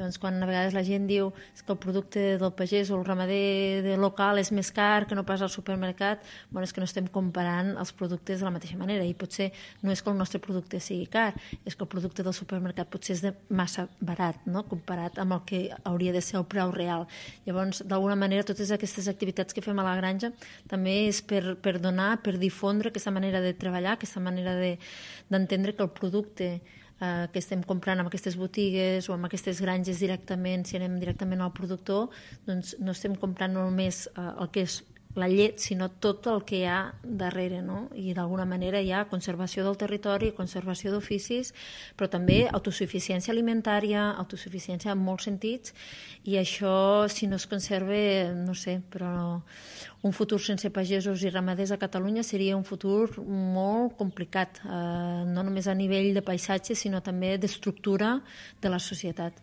Llavors, quan a vegades la gent diu que el producte del pagès o el ramader local és més car que no pas al supermercat, és que no estem comparant els productes de la mateixa manera, i potser no és que el nostre producte sigui car, és que el producte del supermercat potser és de massa barat, no? Comparat amb el que hauria de ser el preu real. Llavors, d'alguna manera, totes aquestes activitats que fem a la granja també és per donar, per difondre aquesta manera de treballar, aquesta manera d'entendre que el producte que estem comprant en aquestes botigues o en aquestes granges directament, si anem directament al productor, doncs no estem comprant només el que és la llet, sinó tot el que hi ha darrere, no? I d'alguna manera hi ha conservació del territori, conservació d'oficis, però també autosuficiència alimentària, autosuficiència en molts sentits, i això, si no es conserva, no sé, però un futur sense pagesos i ramaders a Catalunya seria un futur molt complicat, no només a nivell de paisatge, sinó també d'estructura de la societat.